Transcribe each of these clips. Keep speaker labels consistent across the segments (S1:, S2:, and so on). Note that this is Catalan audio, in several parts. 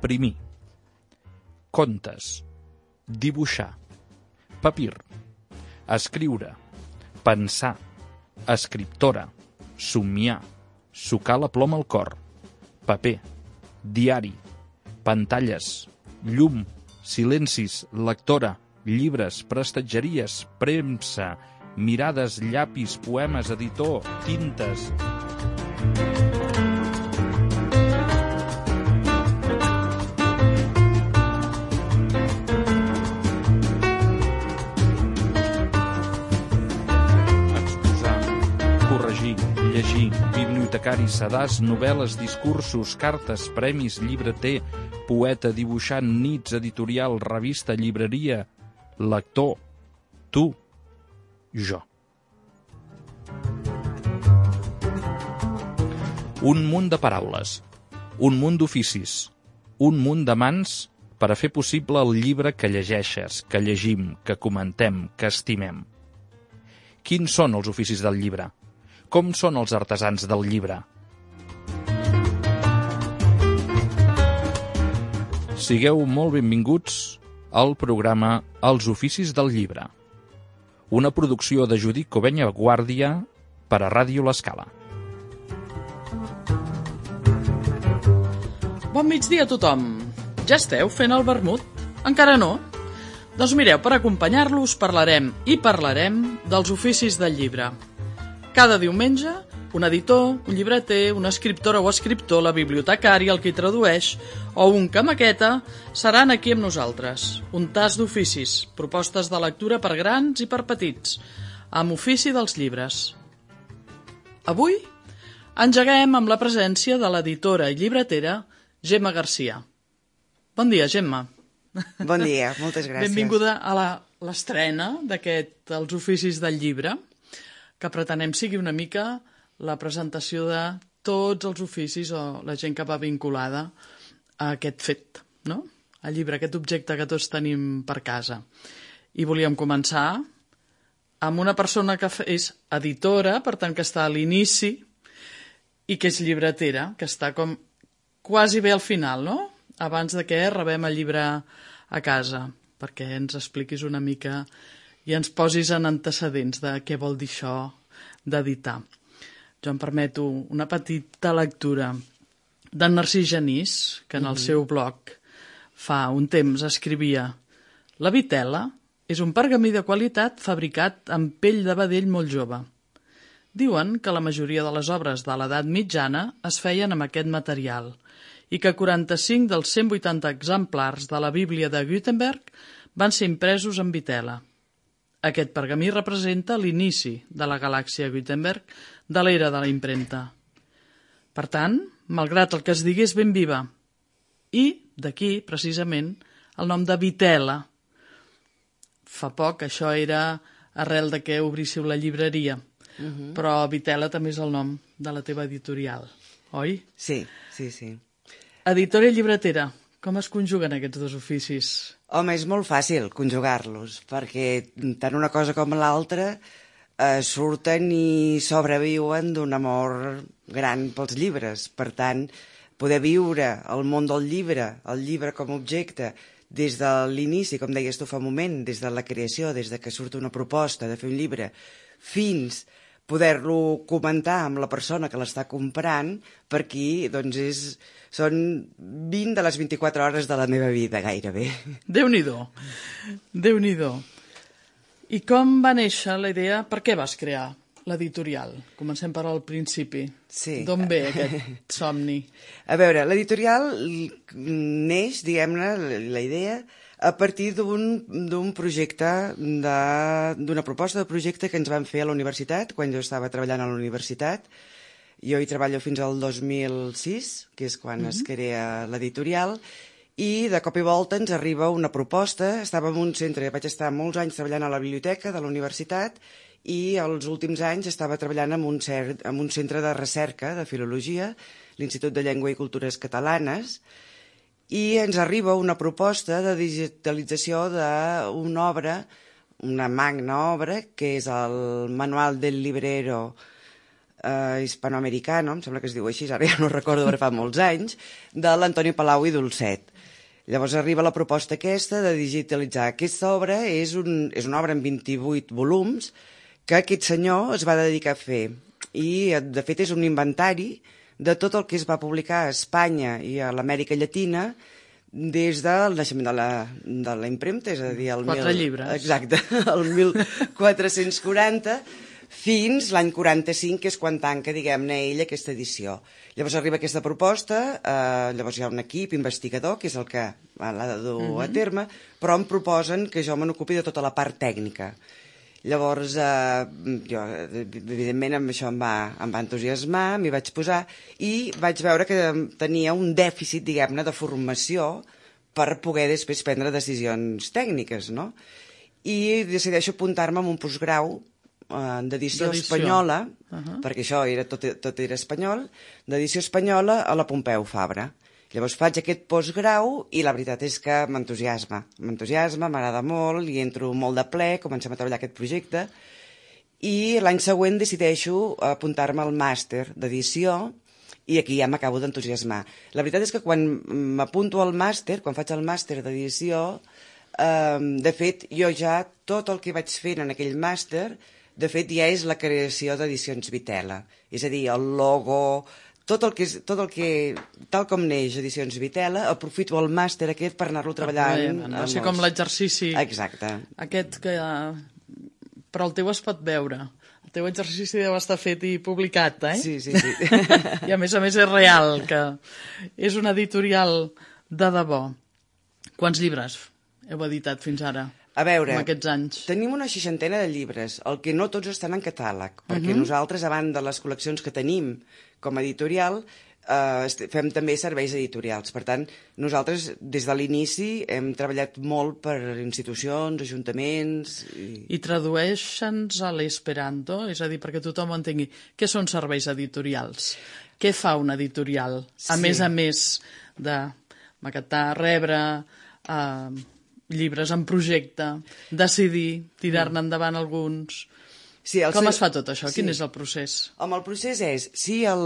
S1: imprimir, contes, dibuixar, papir, escriure, pensar, escriptora, somiar, sucar la ploma al cor, paper, diari, pantalles, llum, silencis, lectora, llibres, prestatgeries, premsa, mirades, llapis, poemes, editor, tintes... Llegir, bibliotecari, sedàs, novel·les, discursos, cartes, premis, llibreter, poeta, dibuixant, nits, editorial, revista, llibreria, lector, tu, jo. Un munt de paraules, un munt d'oficis, un munt de mans per a fer possible el llibre que llegeixes, que llegim, que comentem, que estimem. Quins són els oficis del llibre? Com són els artesans del llibre? Sigueu molt benvinguts al programa Els oficis del llibre, una producció de Judit Covenya Guàrdia per a Ràdio L'Escala.
S2: Bon migdia a tothom. Ja esteu fent el vermut? Encara no? Doncs mireu, per acompanyar-los parlarem dels oficis del llibre. Cada diumenge, un editor, un llibreter, una escriptora o escriptor, la bibliotecària, el qui tradueix, o un que maqueta, seran aquí amb nosaltres. Un tas d'oficis, propostes de lectura per grans i per petits, amb ofici dels llibres. Avui engeguem amb la presència de l'editora i llibretera Gemma Garcia. Bon dia, Gemma.
S3: Bon dia, moltes gràcies.
S2: Benvinguda a l'estrena d'aquest Els oficis del llibre, que pretenem sigui una mica la presentació de tots els oficis o la gent que va vinculada a aquest fet, no? El llibre, aquest objecte que tots tenim per casa. I volíem començar amb una persona que és editora, per tant que està a l'inici, i que és llibretera, que està com quasi bé al final, no? Abans de que rebem el llibre a casa, perquè ens expliquis una mica i ens posis en antecedents de què vol dir això d'editar. Jo em permeto una petita lectura d'en Narcís Genís, que en el seu blog fa un temps escrivia: «La vitela és un pergamí de qualitat fabricat amb pell de vedell molt jove. Diuen que la majoria de les obres de l'edat mitjana es feien amb aquest material i que 45 dels 180 exemplars de la Bíblia de Gutenberg van ser impresos en vitela. Aquest pergamí representa l'inici de la galàxia Gutenberg de l'era de la impremta. Per tant, malgrat el que es digués ben viva, i d'aquí, precisament, el nom de vitela. Fa poc això era arrel de que obríssiu la llibreria, però vitela també és el nom de la teva editorial, oi?
S3: Sí, sí, sí.
S2: Editora i llibretera, com es conjuguen aquests dos oficis?
S3: Home, és molt fàcil conjugar-los, perquè tant una cosa com l'altra surten i sobreviuen d'un amor gran pels llibres. Per tant, poder viure el món del llibre, el llibre com a objecte, des de l'inici, com deies tu fa un moment, des de la creació, des de que surt una proposta de fer un llibre, fins poder-lo comentar amb la persona que l'està comprant, per aquí doncs són 20 de les 24 hores de la meva vida, gairebé.
S2: Déu-n'hi-do, Déu-n'hi-do. I com va néixer la idea? Per què vas crear l'editorial? Comencem per al principi.
S3: Sí.
S2: D'on ve aquest somni?
S3: A veure, l'editorial neix, diguem-ne, la idea, a partir d'un projecte, d'una proposta de projecte que ens van fer a la universitat, quan jo estava treballant a la universitat. Jo hi treballo fins al 2006, que és quan es crea l'editorial, i de cop i volta ens arriba una proposta. Estava en un centre, vaig estar molts anys treballant a la biblioteca de la universitat i els últims anys estava treballant en un centre de recerca de filologia, l'Institut de Llengua i Cultures Catalanes, i ens arriba una proposta de digitalització d'una obra, una magna obra, que és el Manual del Librero Hispanoamericano, em sembla que es diu així, ara ja no recordo, però fa molts anys, de l'Antoni Palau i Dolcet. Llavors arriba la proposta aquesta de digitalitzar. Aquesta obra és una obra en 28 volums que aquest senyor es va dedicar a fer. I, de fet, és un inventari de tot el que es va publicar a Espanya i a l'Amèrica Llatina des del naixement de la impremta, és a dir...
S2: 4 llibres.
S3: Exacte, el 1440, fins l'any 45, que és quan tanca, diguem-ne, ell aquesta edició. Llavors arriba aquesta proposta, llavors hi ha un equip investigador, que és el que l'ha de dur a terme, però em proposen que jo me n'ocupi de tota la part tècnica. Llavors, jo, evidentment, amb això em va entusiasmar, m'hi vaig posar, i vaig veure que tenia un dèficit, diguem-ne, de formació per poder després prendre decisions tècniques, no? I decideixo apuntar-me en un postgrau d'edició espanyola, perquè això tot era espanyol, d'edició espanyola a la Pompeu Fabra. Llavors faig aquest postgrau i la veritat és que m'entusiasma, m'agrada molt, hi entro molt de ple, comencem a treballar aquest projecte i l'any següent decideixo apuntar-me al màster d'edició i aquí ja m'acabo d'entusiasmar. La veritat és que quan m'apunto al màster, quan faig el màster d'edició, de fet, jo ja tot el que vaig fent en aquell màster, de fet ja és la creació d'Edicions Vitela, és a dir, el logo... Tot el que, tal com neix Edicions Vitela, aprofito el màster aquest per anar-lo treballant.
S2: O sigui, com l'exercici...
S3: Exacte.
S2: Aquest que... Però el teu es pot veure. El teu exercici deu estar fet i publicat, eh?
S3: Sí.
S2: I a més és real, que és una editorial de debò. Quants llibres heu editat fins ara?
S3: A veure,
S2: aquests anys.
S3: Tenim una 60 de llibres, el que no tots estan en catàleg, perquè nosaltres, a banda de les col·leccions que tenim com a editorial, fem també serveis editorials. Per tant, nosaltres, des de l'inici, hem treballat molt per institucions, ajuntaments...
S2: I tradueixen-nos a l'esperanto? És a dir, perquè tothom ho entengui. Què són serveis editorials? Què fa un editorial? A més de maquetar, rebre... llibres en projecte, decidir, tirar-ne endavant alguns...
S3: Sí,
S2: com es fa tot això? Quin és el procés?
S3: El procés és, si el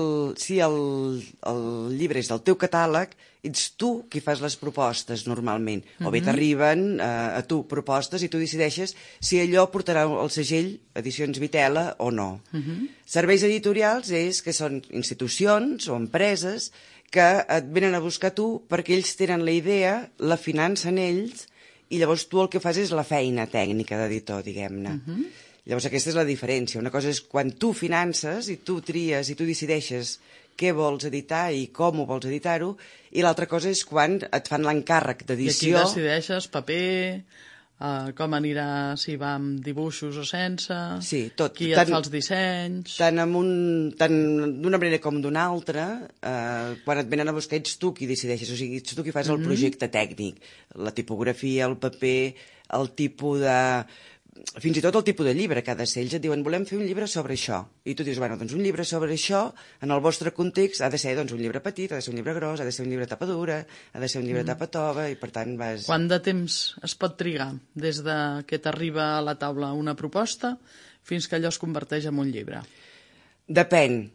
S3: llibre és del teu catàleg, ets tu qui fas les propostes normalment, o bé t'arriben a tu propostes i tu decideixes si allò portarà el segell Edicions Vitela o no. Serveis editorials és que són institucions o empreses que et venen a buscar tu perquè ells tenen la idea, la financen ells, i llavors tu el que fas és la feina tècnica d'editor, diguem-ne. Llavors aquesta és la diferència. Una cosa és quan tu finances i tu tries i tu decideixes què vols editar i com ho vols editar-ho, i l'altra cosa és quan et fan l'encàrrec d'edició.
S2: I aquí decideixes paper, com anirà, si va amb dibuixos o sense, qui et fa els dissenys...
S3: Tant d'una manera com d'una altra, quan et venen a buscar ets tu qui decideixes, o sigui, ets tu qui fas el projecte tècnic, la tipografia, el paper, el tipus de... Fins i tot el tipus de llibre que ha de ser. Ells et diuen, volem fer un llibre sobre això. I tu dius, bueno, doncs un llibre sobre això, en el vostre context, ha de ser doncs, un llibre petit, ha de ser un llibre gros, ha de ser un llibre tapa dura, ha de ser un llibre tapa tova, i per tant vas...
S2: Quant de temps es pot trigar des de que t'arriba a la taula una proposta fins que allò es converteix en un llibre?
S3: Depèn.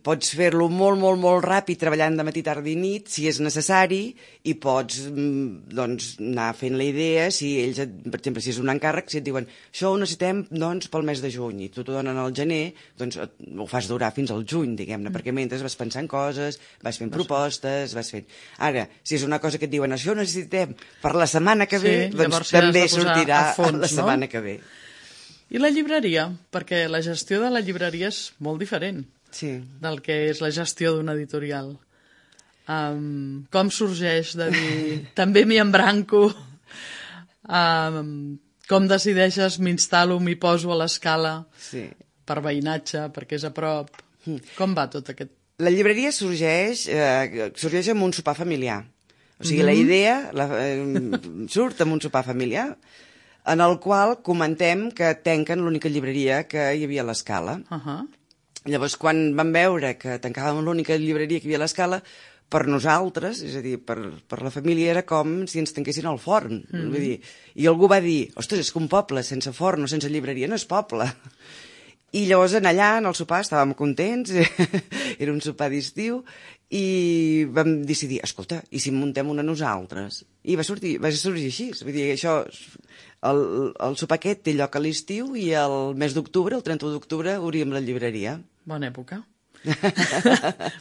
S3: Pots fer-lo molt, molt, molt ràpid, treballant de matí, tarda i nit, si és necessari, i pots anar fent la idea, si ells, per exemple, si és un encàrrec, si et diuen això ho necessitem pel mes de juny, i tu t'ho donen al gener, doncs ho fas durar fins al juny, diguem-ne, perquè mentre vas pensant coses, vas fent propostes, vas fent... Ara, si és una cosa que et diuen això ho necessitem per la setmana que ve, doncs també sortirà la setmana que ve.
S2: I la llibreria? Perquè la gestió de la llibreria és molt diferent del que és la gestió d'una editorial. Com sorgeix de dir, també m'hi embranco? Com decideixes, m'instal·lo, m'hi poso a l'escala per veïnatge, perquè és a prop? Com va tot aquest?
S3: La llibreria sorgeix amb un sopar familiar. O sigui, la idea surt amb un sopar familiar en el qual comentem que tanquen l'única llibreria que hi havia a l'Escala. Llavors, quan vam veure que tancàvem l'única llibreria que hi havia a l'Escala, per nosaltres, és a dir, per la família, era com si ens tanquessin el forn. Vull dir, i algú va dir, ostres, és que un poble sense forn o sense llibreria no és poble. I llavors allà, en el sopar, estàvem contents, era un sopar d'estiu, i vam decidir, escolta, i si en muntem una nosaltres? I va sorgir així, vull dir, això, el sopar aquest té lloc a l'estiu i el mes d'octubre, el 31 d'octubre, obríem la llibreria.
S2: Bona època.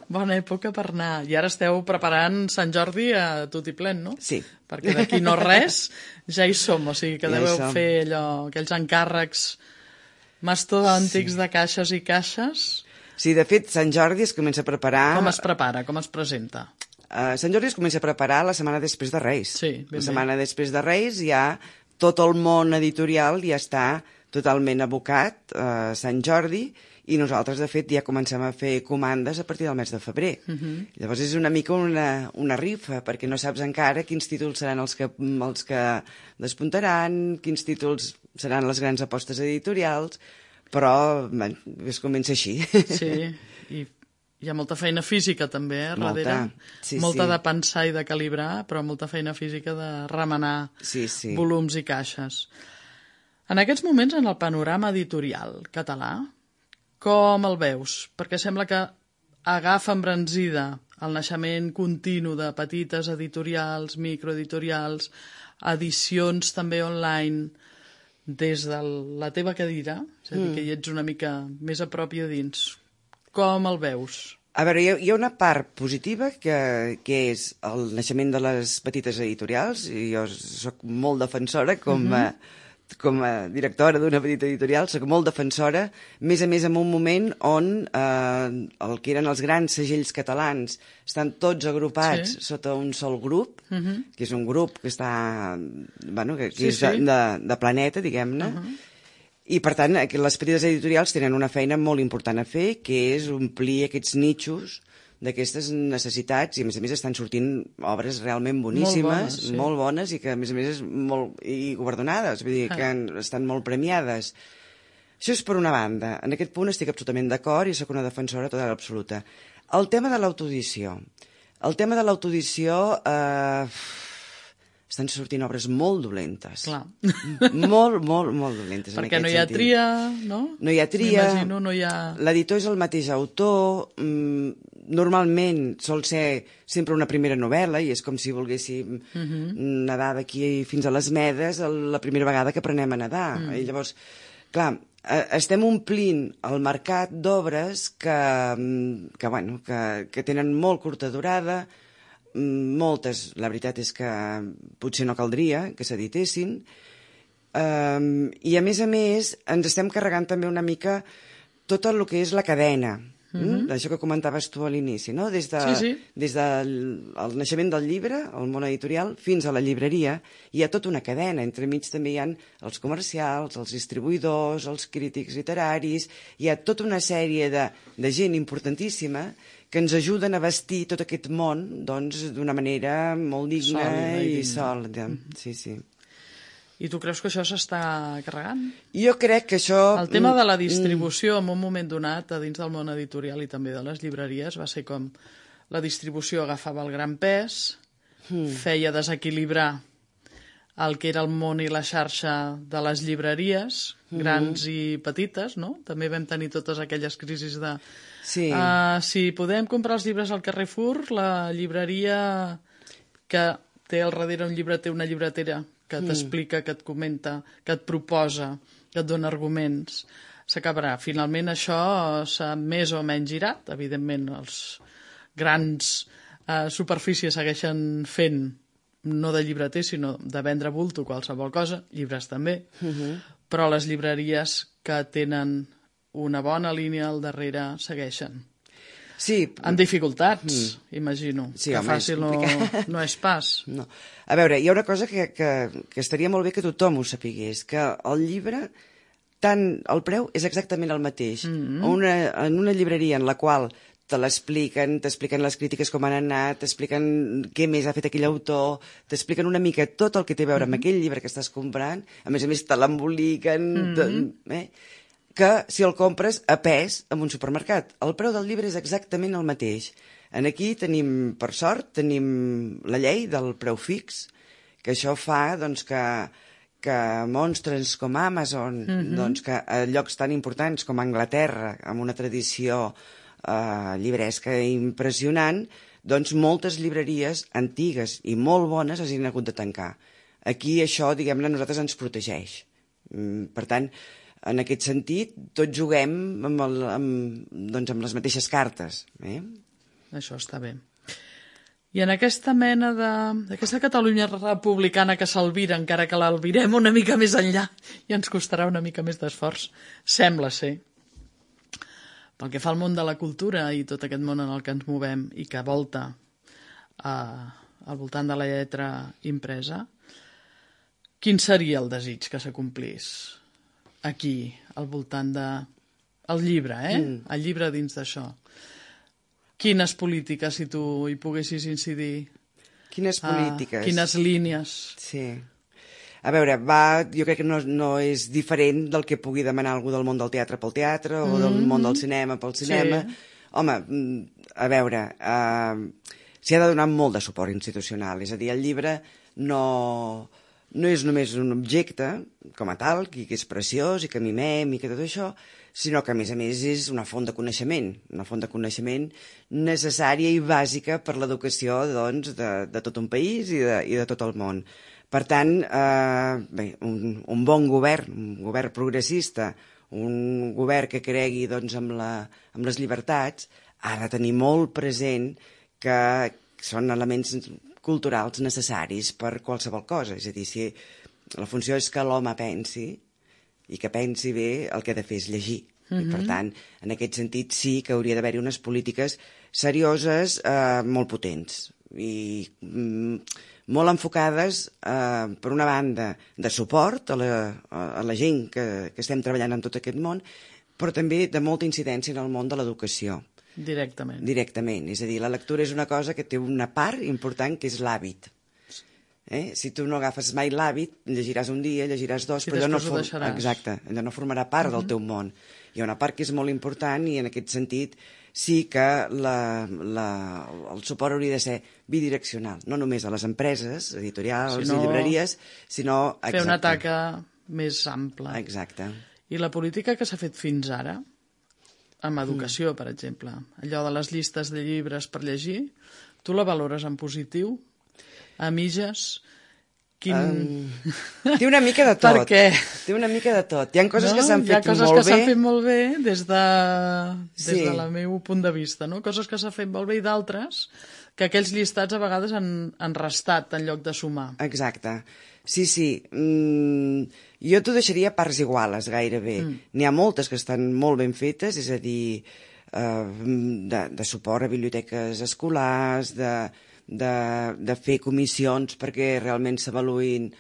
S2: Bona època per anar. I ara esteu preparant Sant Jordi a tot i plen, no?
S3: Sí.
S2: Perquè d'aquí no res, ja hi som, o sigui que
S3: Ja hi
S2: deveu
S3: som.
S2: fer allò, aquells encàrrecs mastodòntics de caixes i caixes.
S3: Sí, de fet, Sant Jordi es comença a preparar...
S2: Com es prepara, com es presenta?
S3: Sant Jordi es comença a preparar la setmana després de Reis.
S2: Sí, ben bé.
S3: La setmana després de Reis ja tot el món editorial ja està totalment abocat a Sant Jordi i nosaltres, de fet, ja comencem a fer comandes a partir del mes de febrer. Llavors és una mica una rifa, perquè no saps encara quins títols seran els que despuntaran, quins títols seran les grans apostes editorials, però bé, es comença així.
S2: Sí, i hi ha molta feina física també, darrere.
S3: sí,
S2: molta
S3: sí.
S2: de pensar i de calibrar, però molta feina física de remenar
S3: Sí.
S2: volums i caixes. En aquests moments, en el panorama editorial català, com el veus? Perquè sembla que agafa embranzida el naixement continu de petites editorials, microeditorials, edicions també online, des de la teva cadira, és a dir, que hi ets una mica més a prop i a dins. Com el veus?
S3: A veure, hi ha una part positiva que és el naixement de les petites editorials, i jo sóc molt defensora com a directora d'una petita editorial, sóc molt defensora, més a més en un moment on el que eren els grans segells catalans estan tots agrupats sota un sol grup, que és un grup que està, bueno, que és de planeta, diguem-ne, i per tant les petites editorials tenen una feina molt important a fer, que és omplir aquests nichos d'aquestes necessitats, i a més estan sortint obres realment boníssimes, molt bones, i que a més és molt i guardonades, vull dir que estan molt premiades. Això és per una banda. En aquest punt estic absolutament d'acord i sóc una defensora total absoluta. El tema de l'autoedició. Estan sortint obres molt dolentes.
S2: Clar.
S3: Molt dolentes.
S2: Perquè no hi ha tria, no?
S3: No hi ha tria.
S2: M'imagino, no hi ha...
S3: L'editor és el mateix autor. Normalment sol ser sempre una primera novel·la i és com si volguéssim nedar d'aquí fins a les Medes la primera vegada que aprenem a nedar. I llavors, clar, estem omplint el mercat d'obres que tenen molt curta durada, moltes, la veritat és que potser no caldria que s'editessin, i a més ens estem carregant també una mica tot el que és la cadena, això que comentaves tu a l'inici, no? Des del naixement del llibre, el món editorial, fins a la llibreria, hi ha tota una cadena. Entremig també hi ha els comercials, els distribuïdors, els crítics literaris, hi ha tota una sèrie de gent importantíssima que ens ajuden a vestir tot aquest món d'una manera molt digna i sòlida. Sí.
S2: I tu creus que això s'està carregant?
S3: Jo crec que això...
S2: El tema de la distribució en un moment donat a dins del món editorial i també de les llibreries va ser com la distribució agafava el gran pes, feia desequilibrar el que era el món i la xarxa de les llibreries, grans i petites, no? També vam tenir totes aquelles crisis de...
S3: Sí.
S2: Si podem comprar els llibres al Carrefour, la llibreria que té al darrere un llibreter, una llibretera, que t'explica, que et comenta, que et proposa, que et dona arguments, s'acabarà. Finalment això s'ha més o menys girat. Evidentment, els grans superfícies segueixen fent, no de llibreter, sinó de vendre bulto qualsevol cosa, llibres també, però les llibreries que tenen una bona línia al darrere segueixen.
S3: Sí.
S2: Amb dificultats, imagino.
S3: Sí,
S2: que
S3: home,
S2: fàcil no és pas.
S3: No. A veure, hi ha una cosa que estaria molt bé que tothom ho sapigués, que el llibre, tant el preu és exactament el mateix. En una llibreria en la qual t'expliquen les crítiques com han anat, t'expliquen què més ha fet aquell autor, t'expliquen una mica tot el que té a veure amb aquell llibre que estàs comprant, a més te l'emboliquen... que si el compres a pes en un supermercat. El preu del llibre és exactament el mateix. Aquí tenim, per sort, tenim la llei del preu fix, que això fa que que monstres com Amazon, doncs que a llocs tan importants com Anglaterra, amb una tradició llibresca impressionant, doncs moltes llibreries antigues i molt bones hagin hagut de tancar. Aquí això, diguem-ne, a nosaltres ens protegeix. Per tant, en aquest sentit, tots juguem amb les mateixes cartes.
S2: Això està bé. I en aquesta mena d'aquesta Catalunya republicana que s'albira, encara que l'albirem una mica més enllà, i ens costarà una mica més d'esforç, sembla ser. Pel que fa al món de la cultura i tot aquest món en el que ens movem i que volta al voltant de la lletra impresa, quin seria el desig que s'acomplís aquí, al voltant del llibre, el llibre dins d'això? Quines polítiques, si tu hi poguessis incidir?
S3: Quines polítiques?
S2: Quines línies?
S3: Sí. A veure, jo crec que no és diferent del que pugui demanar algú del món del teatre pel teatre o del món del cinema pel cinema. Sí. Home, a veure, s'hi ha de donar molt de suport institucional. És a dir, el llibre no és només un objecte com a tal, que és preciós i que mimem i que tot això, sinó que, a més, és una font de coneixement necessària i bàsica per l'educació doncs, de tot un país i de tot el món. Per tant, un bon govern, un govern progressista, un govern que cregui doncs, amb les llibertats, ha de tenir molt present que són elements culturals necessaris per qualsevol cosa. És a dir, si la funció és que l'home pensi, i que pensi bé, el que ha de fer és llegir. I, per tant, en aquest sentit sí que hauria d'haver-hi unes polítiques serioses molt potents i molt enfocades, per una banda, de suport a la gent que estem treballant en tot aquest món, però també de molta incidència en el món de l'educació.
S2: Directament.
S3: Directament. És a dir, la lectura és una cosa que té una part important que és l'hàbit. Si tu no agafes mai l'hàbit, llegiràs un dia, llegiràs dos, però allò no formarà part del teu món. Hi ha una part que és molt important i en aquest sentit sí que el suport hauria de ser bidireccional, no només a les empreses, editorials i llibreries, sinó...
S2: Fer una taca més ampla.
S3: Exacte.
S2: I la política que s'ha fet fins ara, amb educació, per exemple, allò de les llistes de llibres per llegir, tu la valores en positiu? A mitges?
S3: Té una mica de tot.
S2: Per què?
S3: Té una mica de tot. Hi ha coses que s'han fet molt bé.
S2: Hi ha coses que s'han fet molt bé des del meu punt de vista, no? Coses que s'han fet molt bé i d'altres que aquells llistats a vegades han restat en lloc de sumar.
S3: Exacte. Sí. Jo t'ho deixaria a parts iguales, gairebé. N'hi ha moltes que estan molt ben fetes, és a dir, de suport a biblioteques escolars, de fer comissions perquè realment s'avaluïn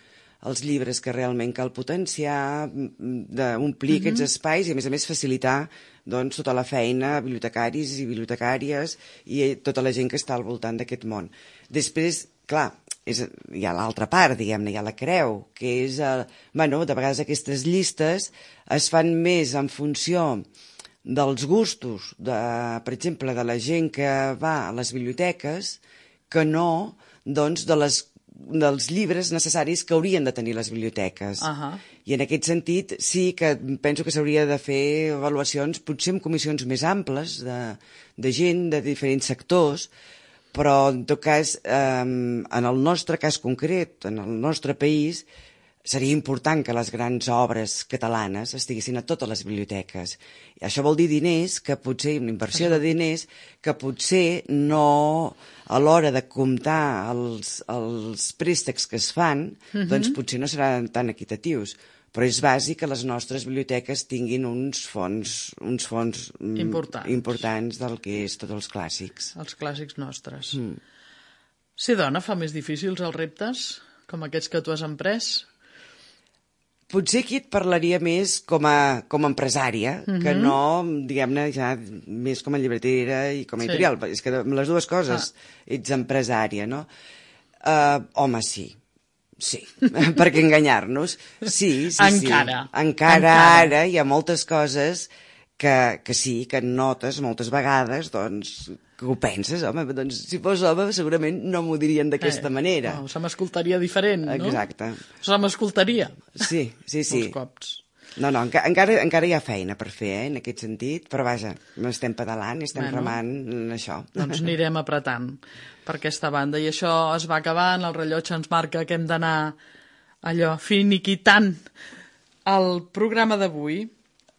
S3: els llibres que realment cal potenciar, d'omplir aquests espais i, a més, facilitar doncs, tota la feina a bibliotecaris i bibliotecàries i tota la gent que està al voltant d'aquest món. Després, clar, hi ha l'altra part, diguem-ne, hi ha la creu, que és... de vegades aquestes llistes es fan més en funció dels gustos, per exemple, de la gent que va a les biblioteques, que no doncs, dels llibres necessaris que haurien de tenir les biblioteques. I en aquest sentit sí que penso que s'hauria de fer avaluacions, potser amb comissions més amples, de gent de diferents sectors, però en tot cas, en el nostre cas concret, en el nostre país, seria important que les grans obres catalanes estiguessin a totes les biblioteques. I això vol dir diners, que potser, una inversió de diners, que potser no, a l'hora de comptar els préstecs que es fan, doncs potser no seran tan equitatius. Però és bàsic que les nostres biblioteques tinguin uns fons importants del que és tots els clàssics.
S2: Els clàssics nostres. Ser dona fa més difícils els reptes, com aquests que tu has emprès?
S3: Potser aquí et parlaria més com a empresària, que no, diguem-ne, ja més com a llibretera i com a editorial. És que amb les dues coses ets empresària, no? Home, sí, perquè enganyar-nos. Sí. Encara ara hi ha moltes coses que sí, que notes moltes vegades, doncs, que ho penses, home? Doncs si fos home segurament no m'ho dirien d'aquesta manera.
S2: No, se m'escoltaria diferent, no?
S3: Exacte.
S2: Se m'escoltaria.
S3: Sí.
S2: Molts cops.
S3: No, encara hi ha feina per fer, en aquest sentit, però vaja, estem pedalant i estem remant en això.
S2: Doncs anirem apretant per aquesta banda. I això es va acabant, el rellotge ens marca que hem d'anar allò finiquitant el programa d'avui.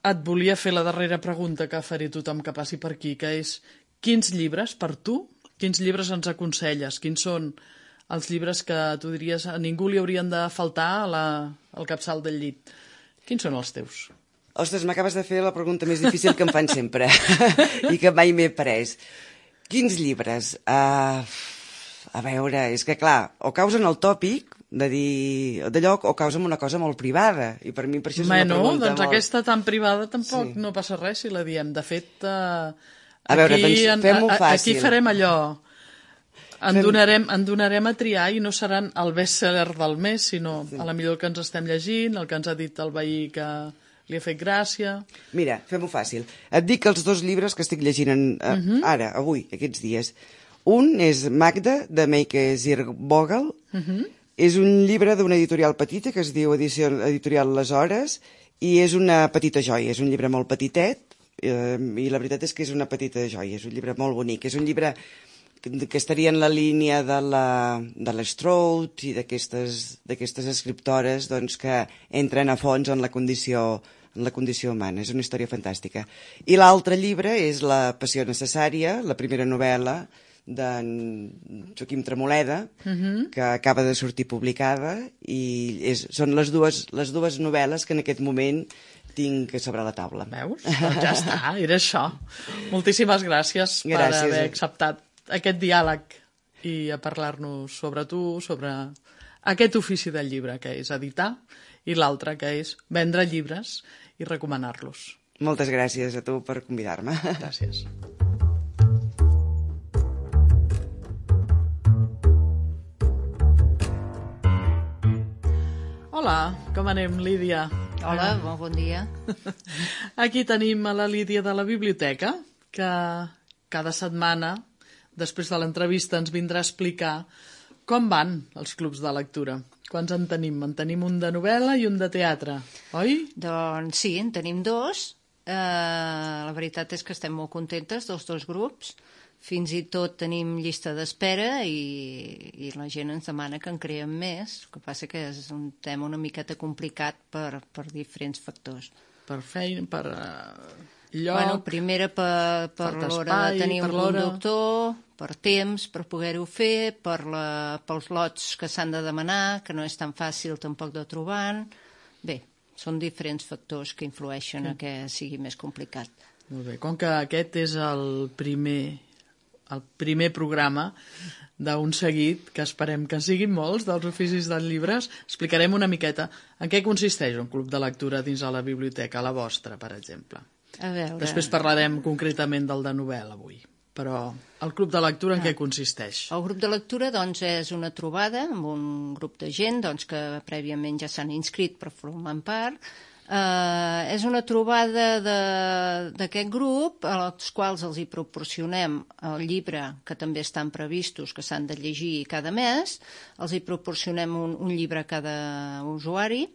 S2: Et volia fer la darrera pregunta que faré tothom que passi per aquí, que és: quins llibres, per tu, quins llibres ens aconselles? Quins són els llibres que tu diries a ningú li haurien de faltar al capçal del llit? Quins són els teus?
S3: Ostres, m'acabes de fer la pregunta més difícil que em fan sempre i que mai m'he pres. Quins llibres? A veure, és que clar, o causen el tòpic de dir d'allò o causen una cosa molt privada, i per mi per això és una pregunta
S2: doncs
S3: molt...
S2: aquesta tan privada tampoc no passa res si la diem. De fet,
S3: a veure, doncs fem-ho fàcil.
S2: Aquí farem allò. En donarem a triar i no seran el best-seller del mes, sinó a la millor el que ens estem llegint, el que ens ha dit el veí que li ha fet gràcia... Mira,
S3: fem-ho fàcil. Et dic els 2 llibres que estic llegint ara, avui, aquests dies. Un és Magda, de Meike Zirkvogel. És un llibre d'una editorial petita que es diu Editorial Les Hores, i és una petita joia, és un llibre molt petitet, i la veritat és que és una petita joia, és un llibre molt bonic, és un llibre que estaria en la línia de l'Stroud i d'aquestes escriptores doncs, que entren a fons en la condició humana. És una història fantàstica. I l'altre llibre és La passió necessària, la primera novel·la d'en Joaquim Tremoleda, que acaba de sortir publicada, i són les dues novel·les que en aquest moment tinc sobre la taula.
S2: Veus? Doncs ja està, era això. Moltíssimes gràcies per haver acceptat aquest diàleg i a parlar-nos sobre tu, sobre aquest ofici del llibre, que és editar, i l'altre, que és vendre llibres i recomanar-los.
S3: Moltes gràcies a tu per convidar-me.
S2: Gràcies. Hola, com anem, Lídia?
S4: Hola, bon dia.
S2: Aquí tenim a la Lídia de la biblioteca, que cada setmana, després de l'entrevista, ens vindrà a explicar com van els clubs de lectura. Quants en tenim? En tenim un de novel·la i un de teatre, oi?
S4: Doncs sí, en tenim 2. La veritat és que estem molt contentes dels 2 grups. Fins i tot tenim llista d'espera i la gent ens demana que en creem més. El que passa que és un tema una miqueta complicat per diferents factors.
S2: Per feina, per lloc...
S4: Bueno, primera per l'hora de tenir un conductor, per temps, per poder-ho fer, pels lots que s'han de demanar, que no és tan fàcil tampoc de trobar. Bé, són diferents factors que influeixen a que sigui més complicat.
S2: Molt bé, com que aquest és el primer programa d'un seguit, que esperem que siguin molts, dels oficis dels llibres, explicarem una miqueta en què consisteix un club de lectura dins de la biblioteca, la vostra, per exemple.
S4: A veure...
S2: Després parlarem concretament del de novel·la avui, però el club de lectura en què consisteix?
S4: El grup de lectura doncs, és una trobada amb un grup de gent doncs, que prèviament ja s'han inscrit per formar part. És una trobada d'aquest grup als quals els hi proporcionem el llibre que també estan previstos que s'han de llegir cada mes, els hi proporcionem un llibre a cada usuari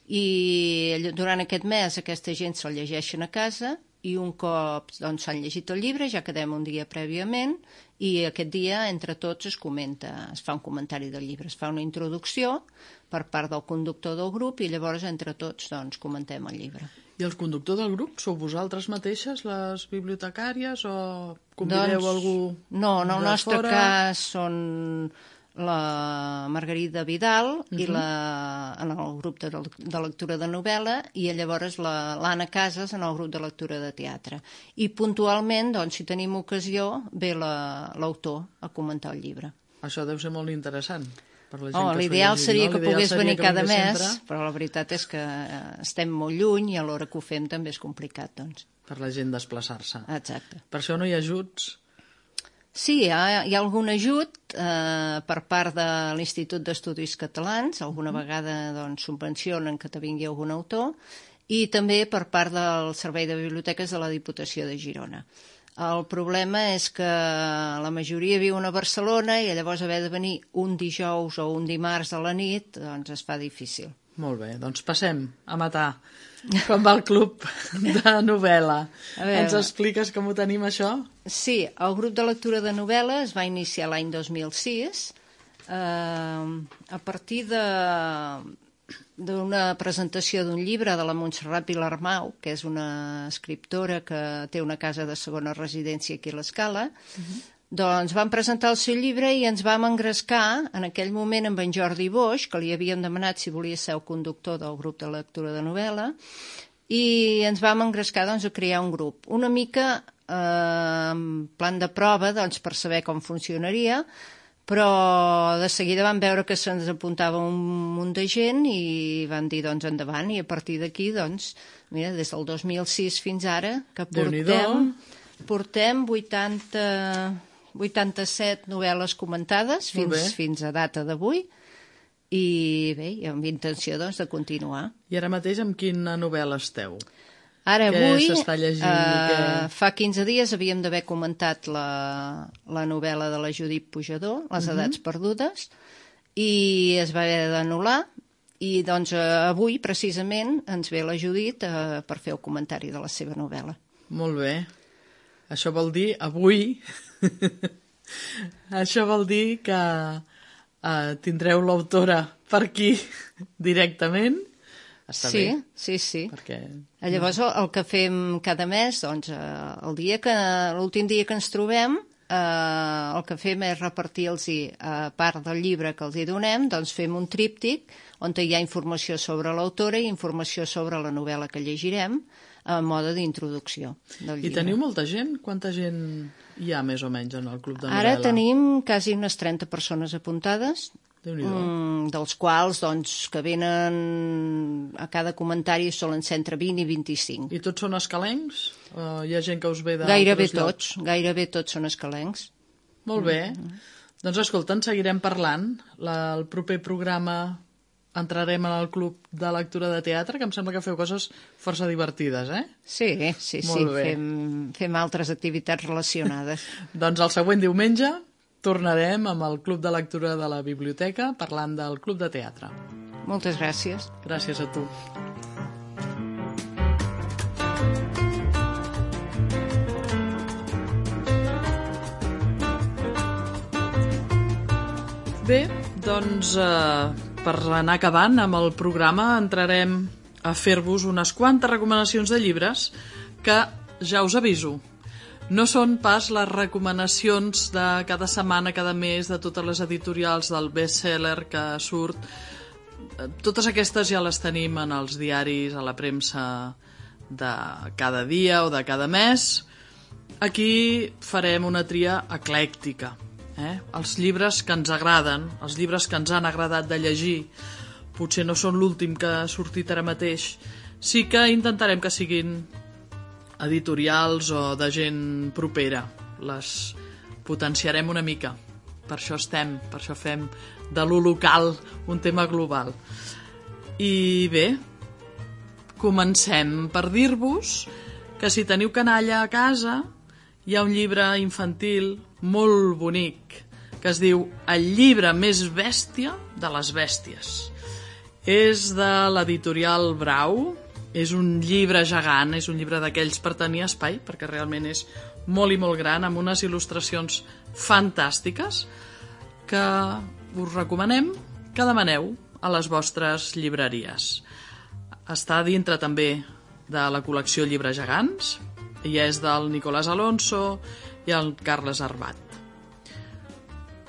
S4: i durant aquest mes aquesta gent se'l llegeixen a casa i un cop doncs, s'han llegit el llibre ja quedem un dia prèviament i aquest dia entre tots es fa un comentari del llibre, es fa una introducció per part del conductor del grup i llavors entre tots doncs, comentem el llibre.
S2: I el conductor del grup sou vosaltres mateixes, les bibliotecàries, o convideu algú de fora?
S4: No, en el nostre cas són la Margarida Vidal i en el grup de lectura de novel·la i llavors l'Anna Casas en el grup de lectura de teatre. I puntualment, doncs, si tenim ocasió, ve l'autor a comentar el llibre.
S2: Això deu ser molt interessant.
S4: L'ideal seria que pogués venir cada mes, però la veritat és que estem molt lluny i a l'hora que ho fem també és complicat, doncs.
S2: Per la gent desplaçar-se.
S4: Exacte.
S2: Per això no hi ha ajuts?
S4: Sí, hi ha algun ajut per part de l'Institut d'Estudis Catalans, alguna vegada doncs, subvencionen que te vingui algun autor, i també per part del Servei de Biblioteques de la Diputació de Girona. El problema és que la majoria viuen a Barcelona i llavors haver de venir un dijous o un dimarts a la nit doncs es fa difícil.
S2: Molt bé, doncs passem a matar. Com va el club de novel·la? Ens expliques com ho tenim, això?
S4: Sí, el grup de lectura de novel·la es va iniciar l'any 2006 a partir d'una presentació d'un llibre de la Montserrat Vilarmau, que és una escriptora que té una casa de segona residència aquí a l'Escala. Doncs vam presentar el seu llibre i ens vam engrescar en aquell moment amb en Jordi Boix, que li havíem demanat si volia ser el conductor del grup de lectura de novel·la, i ens vam engrescar doncs, a crear un grup. Una mica en plan de prova doncs, per saber com funcionaria, però de seguida vam veure que se'ns apuntava un munt de gent i vam dir doncs endavant, i a partir d'aquí doncs, mira, des del 2006 fins ara que portem 87 novel·les comentades fins a data d'avui i bé, amb intenció doncs, de continuar.
S2: I ara mateix amb quina novel·la esteu?
S4: Ara avui,
S2: s'està llegint?
S4: fa 15 dies havíem d'haver comentat la novel·la de la Judit Pujador, Les edats perdudes, i es va haver d'anul·lar, i doncs avui precisament ens ve la Judit per fer el comentari de la seva novel·la.
S2: Molt bé. Això vol dir, avui, això vol dir que tindreu l'autora per aquí directament. Està bé.
S4: Sí.
S2: Perquè...
S4: Llavors el que fem cada mes, doncs, l'últim dia que ens trobem, el que fem és repartir-los, a part del llibre que els hi donem, doncs fem un tríptic on hi ha informació sobre l'autora i informació sobre la novel·la que llegirem, a mode d'introducció del llibre.
S2: I teniu molta gent? Quanta gent hi ha més o menys en el club de novel·la?
S4: Ara tenim quasi unes 30 persones apuntades, dels quals doncs, que venen a cada comentari solen ser entre 20 i 25.
S2: I tots són escalencs? O hi ha gent que us ve
S4: Gairebé tots són escalencs.
S2: Molt bé. Doncs escolta, en seguirem parlant. El proper programa entrarem en el club de lectura de teatre, que em sembla que feu coses força divertides, eh?
S4: Sí, fem altres activitats relacionades.
S2: Doncs el següent diumenge tornarem amb el club de lectura de la biblioteca parlant del club de teatre.
S4: Moltes gràcies.
S2: Gràcies a tu. Bé, doncs per anar acabant amb el programa entrarem a fer-vos unes quantes recomanacions de llibres que ja us aviso. No són pas les recomanacions de cada setmana, cada mes, de totes les editorials del best-seller que surt. Totes aquestes ja les tenim en els diaris, a la premsa de cada dia o de cada mes. Aquí farem una tria eclèctica. Els llibres que ens agraden, els llibres que ens han agradat de llegir, potser no són l'últim que ha sortit ara mateix. Sí que intentarem que siguin editorials o de gent propera. Les potenciarem una mica. Per això fem de lo local un tema global. I bé, comencem per dir-vos que si teniu canalla a casa hi ha un llibre infantil molt bonic que es diu El llibre més bèstia de les bèsties. És de l'editorial Brau. És un llibre gegant, és un llibre d'aquells per tenir espai, perquè realment és molt i molt gran, amb unes il·lustracions fantàstiques que us recomanem que demaneu a les vostres llibreries. Està dintre també de la col·lecció Llibres gegants i és del Nicolás Alonso i el Carles Arbat.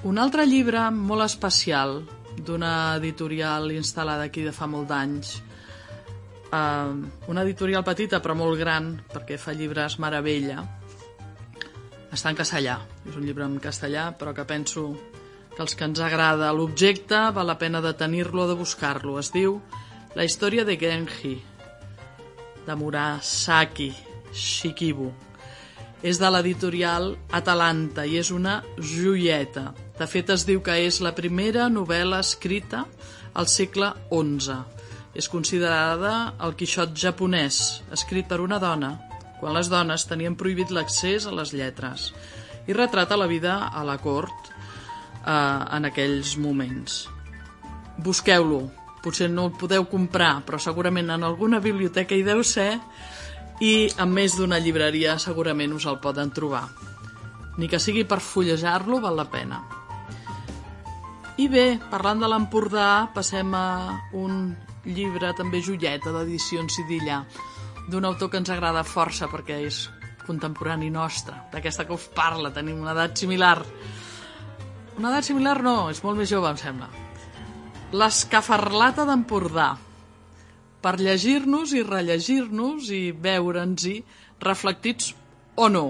S2: Un altre llibre molt especial d'una editorial instal·lada aquí de fa molt d'anys, una editorial petita però molt gran perquè fa llibres meravella, està en castellà, és un llibre en castellà però que penso que els que ens agrada l'objecte val la pena de tenir-lo o de buscar-lo. Es diu La història de Genji de Murasaki Shikibu. És de l'editorial Atalanta i és una joieta. De fet, es diu que és la primera novel·la escrita al segle XI. És considerada el Quixot japonès, escrit per una dona quan les dones tenien prohibit l'accés a les lletres, i retrata la vida a la cort en aquells moments. Busqueu-lo, potser no el podeu comprar, però segurament en alguna biblioteca hi deu ser, i en més d'una llibreria segurament us el poden trobar. Ni que sigui per fullejar-lo, val la pena. I bé, parlant de l'Empordà, passem a un llibre també joieta d'edicions Sidilla, d'un autor que ens agrada força perquè és contemporani nostre, d'aquesta que us parla, tenim una edat similar. Una edat similar no, és molt més jove, em sembla. L'Escafarlata d'Empordà, per llegir-nos i rellegir-nos i veure'ns-hi reflectits o no,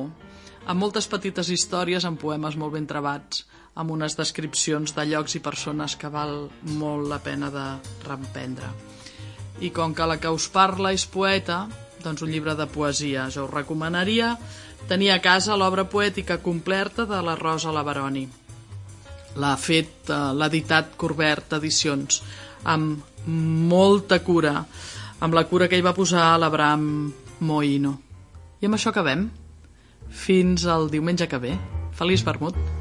S2: amb moltes petites històries, amb poemes molt ben trebats, amb unes descripcions de llocs i persones que val molt la pena de reemprendre. I com que la que us parla és poeta, doncs un llibre de poesia. Jo us recomanaria tenir a casa l'obra poètica completa de la Rosa Lavaroni. L'ha fet, l'ha editat Corbert Edicions, amb molta cura, amb la cura que hi va posar l'Abraham Moïno. I amb això acabem. Fins al diumenge que ve. Feliç vermut!